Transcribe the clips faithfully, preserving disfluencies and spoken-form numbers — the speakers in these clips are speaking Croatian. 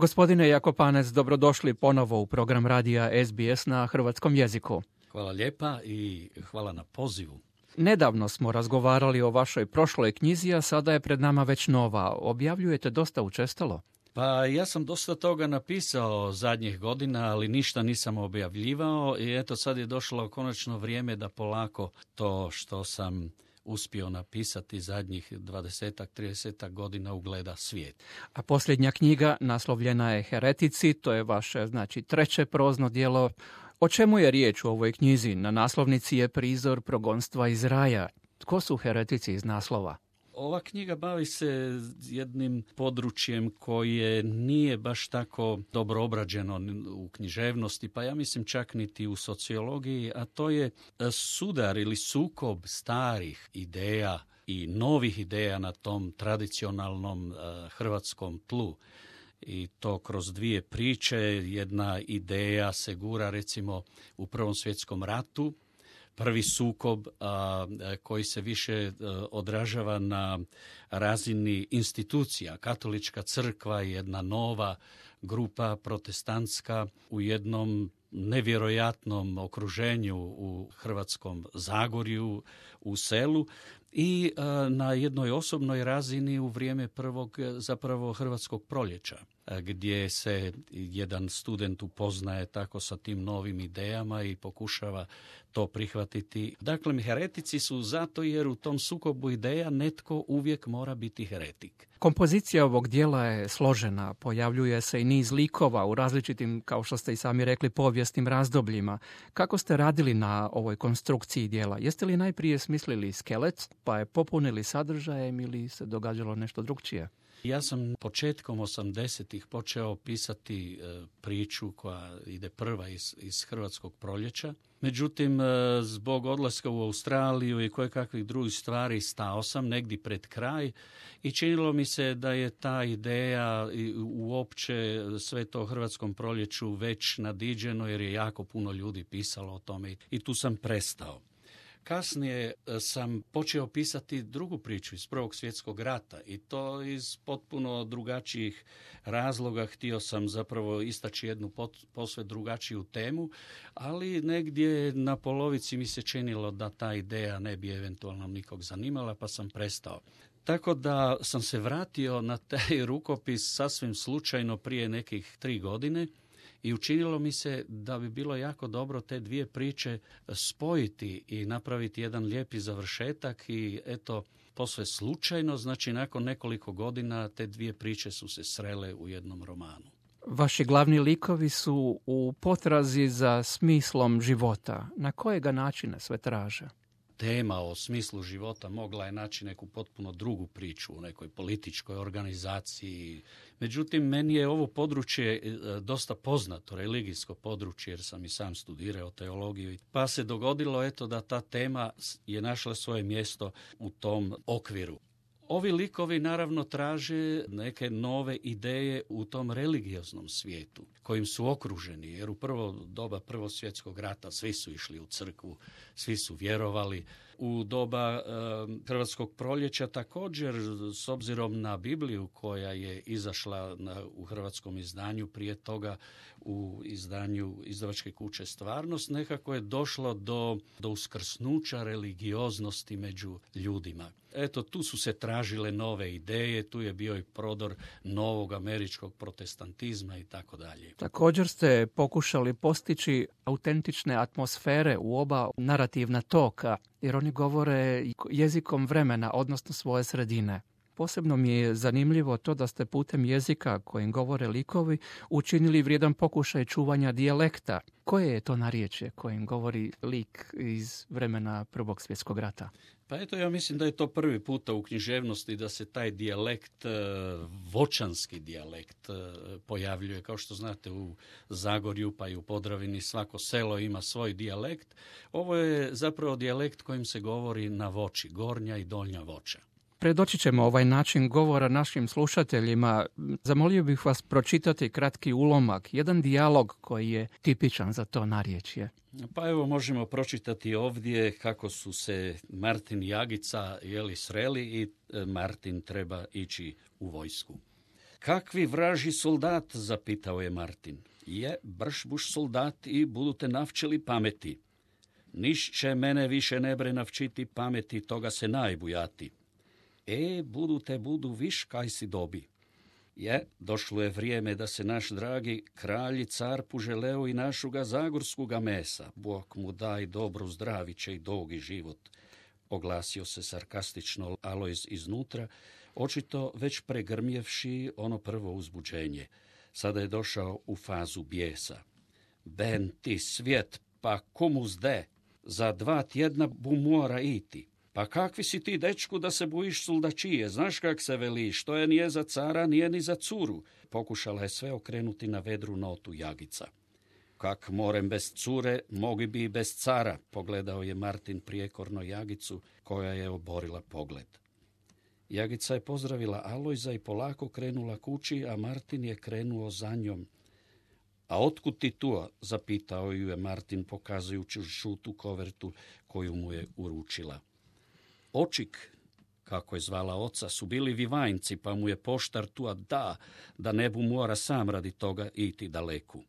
Gospodine Jakopanec, dobrodošli ponovo u program radija S B S na hrvatskom jeziku. Hvala lijepa i hvala na pozivu. Nedavno smo razgovarali o vašoj prošloj knjizi, a sada je pred nama već nova. Objavljujete dosta učestalo. Pa ja sam dosta toga napisao zadnjih godina, ali ništa nisam objavljivao i eto sad je došlo konačno vrijeme da polako to što sam uspio napisati zadnjih dvadesetak, tridesetak godina ugleda svijet. A posljednja knjiga naslovljena je Heretici, to je vaše, znači, treće prozno djelo. O čemu je riječ u ovoj knjizi? Na naslovnici je prizor progonstva iz raja. Tko su heretici iz naslova? Ova knjiga bavi se jednim područjem koje nije baš tako dobro obrađeno u književnosti, pa ja mislim čak niti u sociologiji, a to je sudar ili sukob starih ideja i novih ideja na tom tradicionalnom uh, hrvatskom tlu. I to kroz dvije priče. Jedna ideja se gura recimo u Prvom svjetskom ratu. Prvi sukob a, koji se više a, odražava na razini institucija. Katolička crkva je jedna nova grupa protestantska u jednom nevjerojatnom okruženju u Hrvatskom Zagorju, u selu i a, na jednoj osobnoj razini u vrijeme prvog zapravo Hrvatskog proljeća, gdje se jedan student upoznaje tako sa tim novim idejama i pokušava to prihvatiti. Dakle, heretici su zato jer u tom sukobu ideja netko uvijek mora biti heretik. Kompozicija ovog dijela je složena, pojavljuje se i niz likova u različitim, kao što ste i sami rekli, povijesnim razdobljima. Kako ste radili na ovoj konstrukciji dijela? Jeste li najprije smislili skelet, pa je popunili sadržajem ili se događalo nešto drugčije? Ja sam početkom osamdesetih počeo pisati e, priču koja ide prva iz, iz Hrvatskog proljeća. Međutim, e, zbog odlaska u Australiju i kojekakvih drugih stvari stao sam negdje pred kraj i činilo mi se da je ta ideja i uopće sve to Hrvatskom proljeću već nadiđeno jer je jako puno ljudi pisalo o tome i tu sam prestao. Kasnije sam počeo pisati drugu priču iz Prvog svjetskog rata i to iz potpuno drugačijih razloga. Htio sam zapravo istaći jednu posve drugačiju temu, ali negdje na polovici mi se činilo da ta ideja ne bi eventualno nikog zanimala, pa sam prestao. Tako da sam se vratio na taj rukopis sasvim slučajno prije nekih tri godine. I učinilo mi se da bi bilo jako dobro te dvije priče spojiti i napraviti jedan lijepi završetak i eto, posve slučajno, znači nakon nekoliko godina te dvije priče su se srele u jednom romanu. Vaši glavni likovi su u potrazi za smislom života. Na kojega načina sve traže? Tema o smislu života mogla je naći neku potpuno drugu priču u nekoj političkoj organizaciji. Međutim, meni je ovo područje dosta poznato, religijsko područje, jer sam i sam studirao teologiju. Pa se dogodilo eto da ta tema je našla svoje mjesto u tom okviru. Ovi likovi naravno traže neke nove ideje u tom religioznom svijetu kojim su okruženi, jer u prvo doba Prvog svjetskog rata svi su išli u crkvu, svi su vjerovali. U doba e, Hrvatskog proljeća također, s obzirom na Bibliju koja je izašla na, u hrvatskom izdanju, prije toga u izdanju izdavačke kuće Stvarnost, nekako je došlo do, do uskrsnuća religioznosti među ljudima. Eto, tu su se tražile nove ideje, tu je bio i prodor novog američkog protestantizma i tako dalje. Također ste pokušali postići autentične atmosfere u oba narativna toka, jer oni govore jezikom vremena, odnosno svoje sredine. Posebno mi je zanimljivo to da ste putem jezika kojim govore likovi učinili vrijedan pokušaj čuvanja dijalekta. Koje je to narječje kojim govori lik iz vremena Prvog svjetskog rata? Pa eto, ja mislim da je to prvi puta u književnosti da se taj dijalekt, voćanski dijalekt, pojavljuje. Kao što znate, u Zagorju pa i u Podravini svako selo ima svoj dijalekt. Ovo je zapravo dijalekt kojim se govori na Voći, Gornja i Donja Voća. Predočit ćemo ovaj način govora našim slušateljima. Zamolio bih vas pročitati kratki ulomak, jedan dijalog koji je tipičan za to narječje. Pa evo možemo pročitati ovdje kako su se Martin i Agica jeli sreli i Martin treba ići u vojsku. Kakvi vraži soldat, zapitao je Martin. Je, brš buš soldat i budu te navčili pameti. Niš će mene više ne bre navčiti pameti, toga se najbujati. E, budu te budu viš kaj si dobi. Je, došlo je vrijeme da se naš dragi kralj i car poželeo i našuga zagorskuga mesa. Bog mu daj dobru zdraviće i dugi život. Oglasio se sarkastično Alojz iznutra, očito već pregrmjevši ono prvo uzbuđenje. Sada je došao u fazu bijesa. Ben ti svijet, pa komu zde? Za dva tjedna bu mora iti. Pa kakvi si ti, dečku, da se bojiš soldačije? Znaš kak se veli, što je nije za cara, nije ni za curu. Pokušala je sve okrenuti na vedru notu Jagica. Kak morem bez cure, mogi bi i bez cara, pogledao je Martin prijekorno Jagicu, koja je oborila pogled. Jagica je pozdravila Alojza i polako krenula kući, a Martin je krenuo za njom. A otkud ti tu? Zapitao ju je Martin, pokazujući žutu kovertu koju mu je uručila. Očik, kako je zvala oca, su bili Vivajnci, pa mu je poštar tu da, da ne bu mora sam radi toga iti daleku.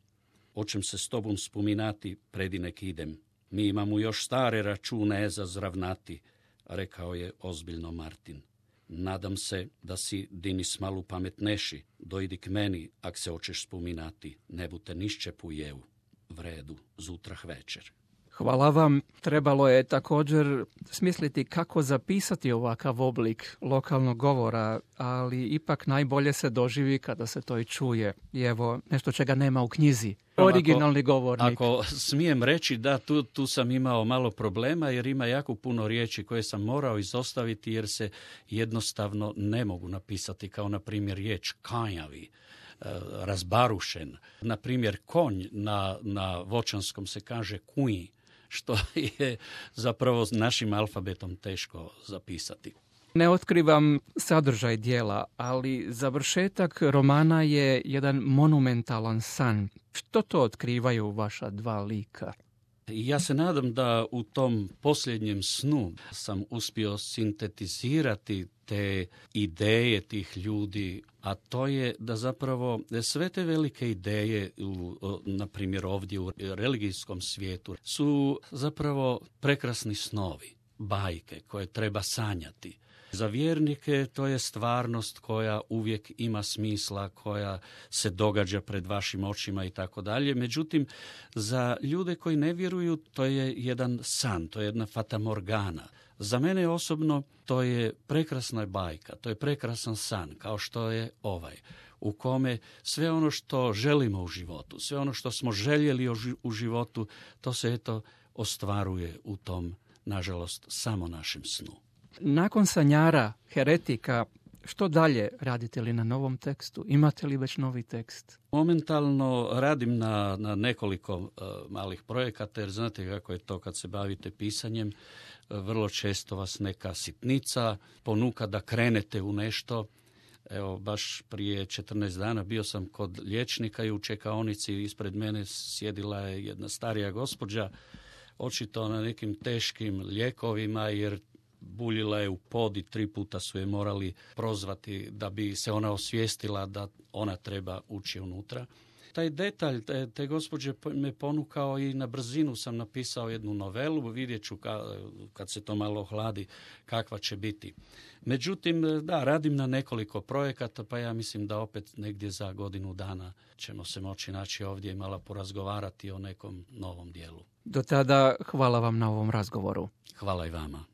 Očem se s tobom spominati, predinek idem. Mi imamo još stare račune za zravnati, rekao je ozbiljno Martin. Nadam se da si dinis malu pametneši, dojdi k meni, ak se hoćeš spominati, ne bute nišće pujevu. V redu, zutrah večer. Hvala vam. Trebalo je također smisliti kako zapisati ovakav oblik lokalnog govora, ali ipak najbolje se doživi kada se to i čuje. I evo, nešto čega nema u knjizi. Originalni ako, govornik. Ako smijem reći da tu, tu sam imao malo problema jer ima jako puno riječi koje sam morao izostaviti jer se jednostavno ne mogu napisati, kao na primjer riječ kanjavi, razbarušen. Na primjer konj na, na voćanskom se kaže kuj, što je zapravo našim alfabetom teško zapisati. Ne otkrivam sadržaj dijela, ali završetak romana je jedan monumentalan san. Što to otkrivaju vaša dva lika? Ja se nadam da u tom posljednjem snu sam uspio sintetizirati te ideje tih ljudi, a to je da zapravo sve te velike ideje, u, na primjer ovdje u religijskom svijetu, su zapravo prekrasni snovi, bajke koje treba sanjati. Za vjernike to je stvarnost koja uvijek ima smisla, koja se događa pred vašim očima i tako dalje. Međutim, za ljude koji ne vjeruju to je jedan san, to je jedna fatamorgana. Za mene osobno to je prekrasna bajka, to je prekrasan san, kao što je ovaj, u kome sve ono što želimo u životu, sve ono što smo željeli u životu, to se eto ostvaruje u tom, nažalost, samo našem snu. Nakon sanjara, heretika, što dalje? Radite li na novom tekstu? Imate li već novi tekst? Momentalno radim na, na nekoliko uh, malih projekata, jer znate kako je to kad se bavite pisanjem. Uh, vrlo često vas neka sitnica ponuka da krenete u nešto. Evo, baš prije četrnaest dana bio sam kod liječnika i u čekaonici ispred mene sjedila je jedna starija gospođa, očito na nekim teškim lijekovima, jer buljila je u pod i tri puta su je morali prozvati da bi se ona osvijestila da ona treba ući unutra. Taj detalj te, te gospođe me ponukao i na brzinu sam napisao jednu novelu, vidjet ću ka, kad se to malo ohladi kakva će biti. Međutim, da, radim na nekoliko projekata, pa ja mislim da opet negdje za godinu dana ćemo se moći naći ovdje i malo porazgovarati o nekom novom dijelu. Do tada hvala vam na ovom razgovoru. Hvala i vama.